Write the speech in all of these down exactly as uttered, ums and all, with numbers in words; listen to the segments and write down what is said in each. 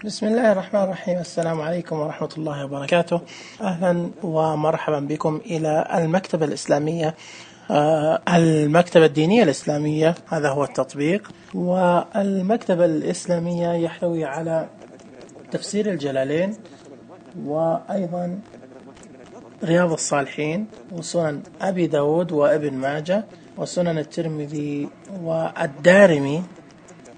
بسم الله الرحمن الرحيم. السلام عليكم ورحمة الله وبركاته. أهلا ومرحبا بكم إلى المكتبة الإسلامية، آه المكتبة الدينية الإسلامية. هذا هو التطبيق. والمكتبة الإسلامية يحتوي على تفسير الجلالين، وأيضا رياض الصالحين، وسنن أبي داود وابن ماجه، وسنن الترمذي والدارمي،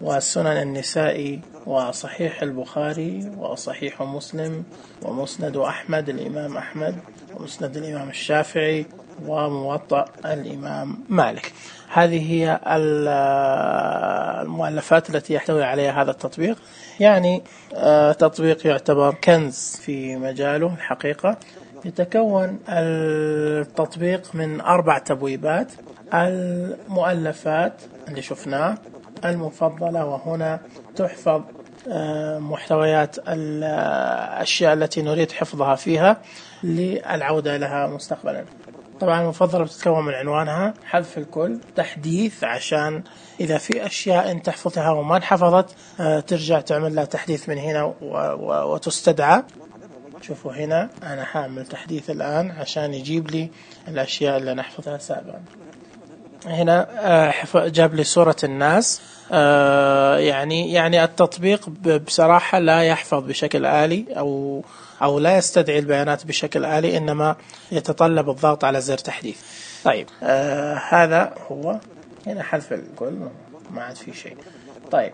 وسنن النسائي، وصحيح البخاري، وصحيح مسلم، ومسند أحمد الإمام أحمد، ومسند الإمام الشافعي، وموطأ الإمام مالك. هذه هي المؤلفات التي يحتوي عليها هذا التطبيق. يعني تطبيق يعتبر كنز في مجاله الحقيقة. يتكون التطبيق من أربع تبويبات: المؤلفات اللي شفناه، المفضلة، وهنا تحفظ محتويات الأشياء التي نريد حفظها فيها للعودة لها مستقبلا. طبعا المفضلة بتتكون من عنوانها، حذف الكل، تحديث عشان إذا في أشياء أنت تحفظها وما انحفظت ترجع تعمل لها تحديث من هنا وتستدعى. شوفوا هنا أنا حامل تحديث الآن عشان يجيب لي الأشياء اللي نحفظها سابقا. هنا جاب لي صورة الناس. يعني يعني التطبيق بصراحة لا يحفظ بشكل آلي أو أو لا يستدعي البيانات بشكل آلي، إنما يتطلب الضغط على زر تحديث. طيب آه هذا هو. هنا حذف الكل، ما عاد في شيء. طيب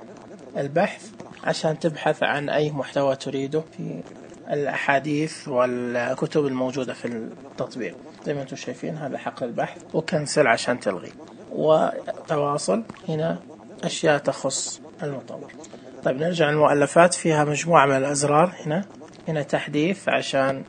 البحث عشان تبحث عن أي محتوى تريده في الأحاديث والكتب الموجودة في التطبيق. زي ما انتم شايفين هذا حق البحث، وكنسل عشان تلغي، وتواصل. هنا أشياء تخص المطور. طيب نرجع للمؤلفات، فيها مجموعة من الأزرار. هنا هنا تحديث عشان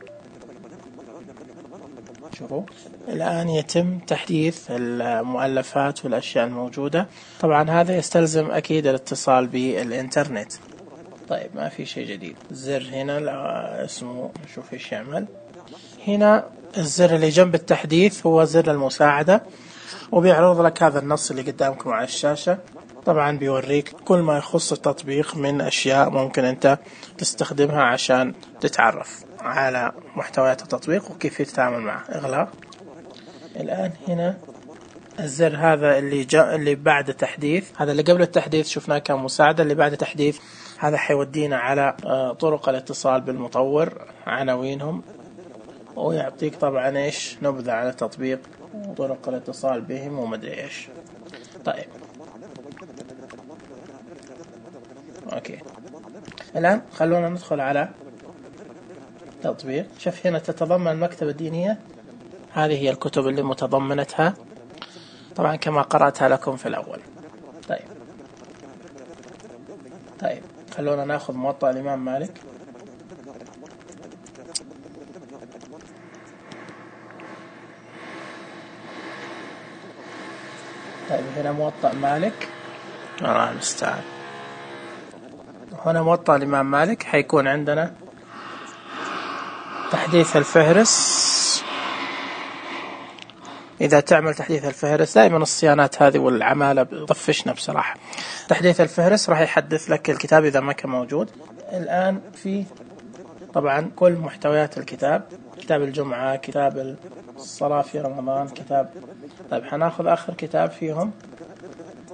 شوفوا الآن يتم تحديث المؤلفات والأشياء الموجودة. طبعا هذا يستلزم أكيد الاتصال بالإنترنت. طيب ما في شيء جديد. زر هنا اسمه نشوف ايش يعمل. هنا الزر اللي جنب التحديث هو زر المساعدة، وبيعرض لك هذا النص اللي قدامكم على الشاشة. طبعا بيوريك كل ما يخص التطبيق من أشياء ممكن أنت تستخدمها عشان تتعرف على محتويات التطبيق وكيف تتعامل معه. إغلاق. الآن هنا الزر هذا اللي جاء اللي بعد التحديث، هذا اللي قبل التحديث شفناه كمساعدة، اللي بعد التحديث هذا حيودينا على طرق الاتصال بالمطور، عناوينهم، ويعطيك طبعا ايش نبذة على التطبيق وطرق الاتصال بهم ومدري ايش. طيب اوكي، الآن خلونا ندخل على تطبيق. شوف هنا تتضمن المكتبة الدينية، هذه هي الكتب اللي متضمنتها طبعا كما قرأتها لكم في الأول. طيب طيب خلونا ناخذ موطأ الإمام مالك. طيب هنا موطأ مالك، الله المستعان. هنا موطأ الإمام مالك. حيكون عندنا تحديث الفهرس. إذا تعمل تحديث الفهرس، دائما الصيانات هذه والعمالة بتطفشنا بصراحة. تحديث الفهرس راح يحدث لك الكتاب إذا ما كان موجود. الآن في طبعا كل محتويات الكتاب، كتاب الجمعة، كتاب الصلاة في رمضان، كتاب. طيب حناخذ آخر كتاب فيهم،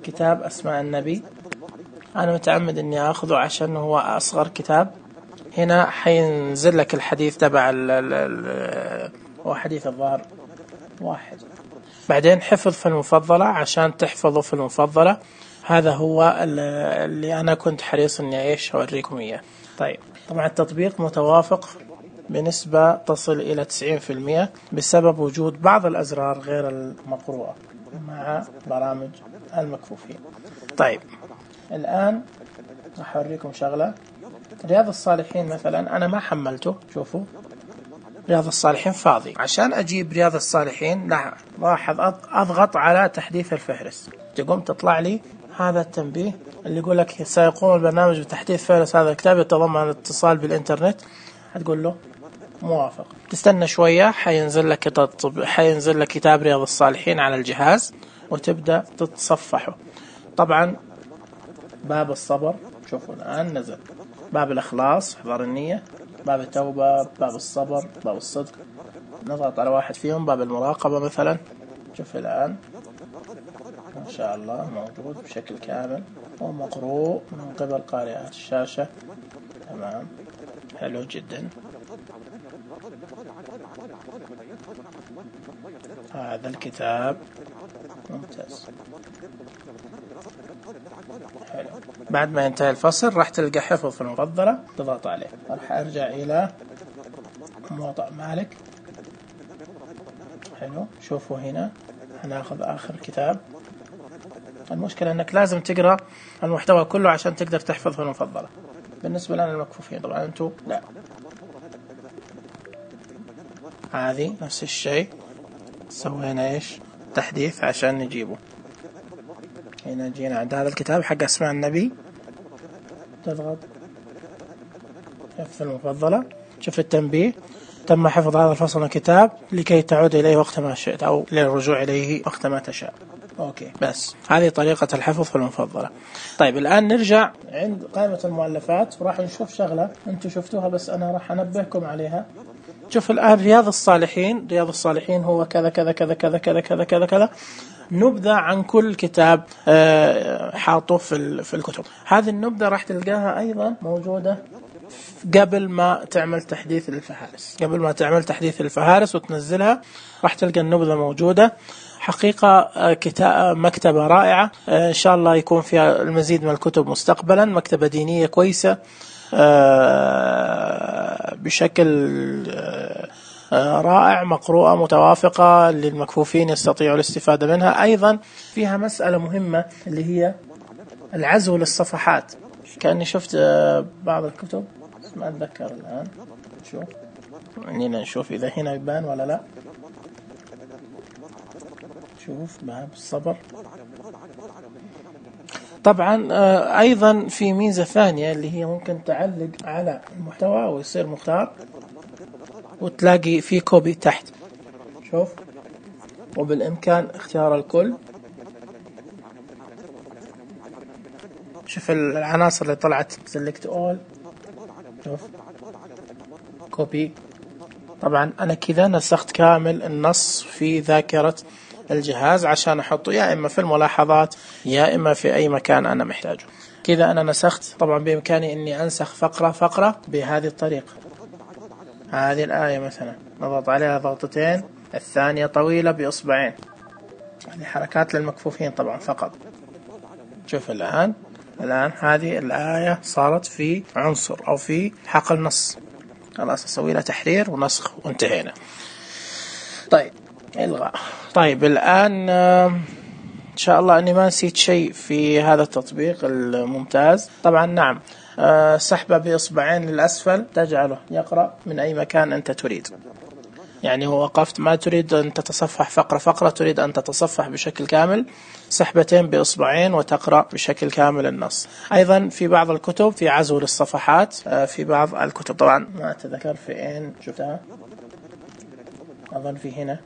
كتاب أسماء النبي. أنا متعمد إني أخذه عشان هو أصغر كتاب. هنا حينزل لك الحديث تبع ال هو حديث الظهر واحد. بعدين حفظ في المفضلة عشان تحفظه في المفضلة. هذا هو اللي أنا كنت حريص إني إيش أوريكم إياه. طيب طبعا التطبيق متوافق بنسبة تصل إلى تسعين بالمئة بسبب وجود بعض الأزرار غير المقروءة مع برامج المكفوفين. طيب الآن راح أوريكم شغلة. رياض الصالحين مثلا أنا ما حملته. شوفوا رياض الصالحين فاضي. عشان أجيب رياض الصالحين لا لاحظ أضغط على تحديث الفهرس، تقوم تطلع لي هذا التنبيه اللي يقول لك سيقوم البرنامج بتحديث فهرس هذا الكتاب يتضمن الاتصال بالإنترنت. هتقول له موافق. تستنى شوية، حينزل لك حينزل لك كتاب رياض الصالحين على الجهاز وتبدأ تتصفحه. طبعا باب الصبر شوفوا الآن نزل. باب الإخلاص، إحضار النية، باب التوبة، باب الصبر، باب الصدق. نضغط على واحد فيهم. باب المراقبة مثلا، شوف الآن ما شاء الله موجود بشكل كامل ومقروء من قبل قارئات الشاشة. تمام، حلو جدا. هذا الكتاب ممتاز، حلو. بعد ما ينتهي الفصل راح تلقى حفظ المفضلة، تضغط عليه. راح أرجع إلى موطأ مالك. حلو، شوفوا هنا هناخذ آخر كتاب. المشكلة أنك لازم تقرأ المحتوى كله عشان تقدر تحفظ في المفضلة. بالنسبة لنا المكفوفين، طبعا أنتوا لا. هذه نفس الشيء، سوينا إيش تحديث عشان نجيبه. هنا جينا عند هذا الكتاب حق أسماء النبي، تضغط حفظ المفضلة. شوف التنبيه، تم حفظ هذا الفصل من الكتاب لكي تعود إليه وقت ما شئت أو للرجوع إليه وقت ما تشاء. أوكي، بس هذه طريقة الحفظ في المفضلة. طيب الآن نرجع عند قائمة المؤلفات وراح نشوف شغلة أنتم شفتوها بس أنا راح أنبهكم عليها. شوف الآن رياض الصالحين، رياض الصالحين هو كذا كذا كذا كذا كذا كذا كذا كذا، نبذة عن كل كتاب حاطه في في الكتب. هذه النبذة راح تلقاها أيضا موجودة قبل ما تعمل تحديث للفهارس. قبل ما تعمل تحديث للفهارس وتنزلها راح تلقى النبذة موجودة. حقيقة كتاب مكتبة رائعة، إن شاء الله يكون فيها المزيد من الكتب مستقبلا. مكتبة دينية كويسة بشكل رائع، مقروءة متوافقة للمكفوفين يستطيعوا الاستفادة منها. أيضا فيها مسألة مهمة اللي هي العزو للصفحات. كأني شفت بعض الكتب ما أتذكر الآن. شوف خلينا نشوف إذا هنا يبان ولا لا. شوف باب الصبر. طبعا أيضا في ميزة ثانية اللي هي ممكن تعلق على المحتوى ويصير مختار وتلاقي فيه كوبي تحت. شوف، وبالإمكان اختيار الكل. شوف العناصر اللي طلعت select all. شوف كوبي. طبعا أنا كذا نسخت كامل النص في ذاكرة الجهاز عشان أحطه يا إما في الملاحظات يا إما في أي مكان أنا محتاجه. كذا أنا نسخت. طبعا بإمكاني أني أنسخ فقرة فقرة بهذه الطريقة. هذه الآية مثلا نضغط عليها ضغطتين، الثانية طويلة بإصبعين. هذه حركات للمكفوفين طبعا فقط. شوف الآن الآن هذه الآية صارت في عنصر أو في حقل نص. خلاص أسوي لها تحرير ونسخ وانتهينا. طيب إلغاء. طيب الآن إن شاء الله أني ما نسيت شيء في هذا التطبيق الممتاز. طبعا نعم، سحبة بإصبعين للأسفل تجعله يقرأ من أي مكان أنت تريد. يعني هو وقفت ما تريد أن تتصفح فقرة فقرة، تريد أن تتصفح بشكل كامل، سحبتين بإصبعين وتقرأ بشكل كامل النص. أيضا في بعض الكتب في عزو للصفحات. في بعض الكتب طبعا ما أتذكر في أين شفتها، أظن في هنا.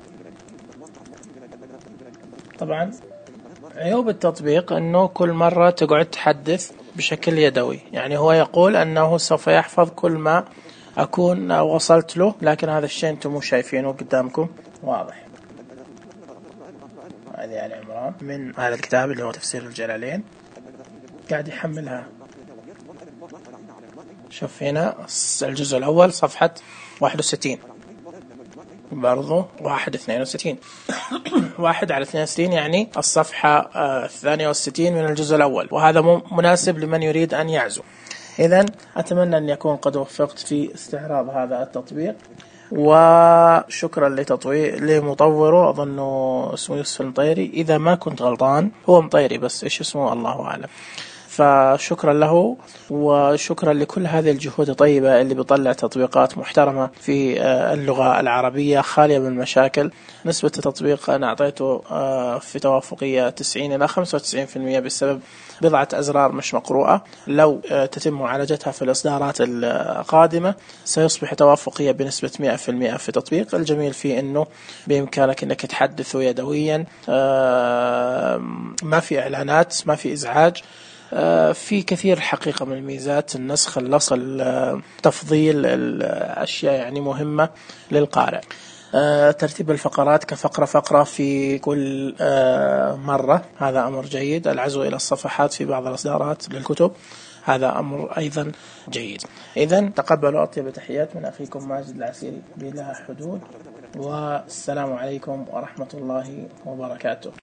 طبعا عيوب التطبيق أنه كل مرة تقعد تحدث بشكل يدوي. يعني هو يقول أنه سوف يحفظ كل ما أكون وصلت له، لكن هذا الشيء أنتم مو شايفينه قدامكم واضح. هذه آل عمران من هذا الكتاب اللي هو تفسير الجلالين، قاعد يحملها. شوف هنا الجزء الأول صفحة واحد وستين، برضو واحد اثنين وستين واحد على اثنين وستين يعني الصفحة الثانية والستين من الجزء الأول، وهذا مناسب لمن يريد أن يعزو. إذن أتمنى أن يكون قد وفقت في استعراض هذا التطبيق، وشكرا لتطوير لمطوره أظنه اسمه يوسف المطيري، إذا ما كنت غلطان هو مطيري بس إيش اسمه الله أعلم. فشكرا له وشكرا لكل هذه الجهود الطيبة اللي بيطلع تطبيقات محترمة في اللغة العربية خالية من المشاكل. نسبة التطبيق أنا أعطيته في توافقية تسعين إلى خمسة وتسعين بالمئة بسبب بضعة أزرار مش مقروءة. لو تتم معالجتها في الإصدارات القادمة سيصبح توافقية بنسبة مئة بالمئة في تطبيق. الجميل فيه أنه بإمكانك أنك تحدثه يدويا، ما في إعلانات، ما في إزعاج، في كثير حقيقة من الميزات، النسخ، اللصق، تفضيل الأشياء يعني مهمة للقارئ. ترتيب الفقرات كفقرة فقرة في كل مرة، هذا أمر جيد. العزو إلى الصفحات في بعض الإصدارات للكتب، هذا أمر أيضا جيد. إذن تقبلوا أطيب تحيات من أخيكم ماجد العسيري بلا حدود، والسلام عليكم ورحمة الله وبركاته.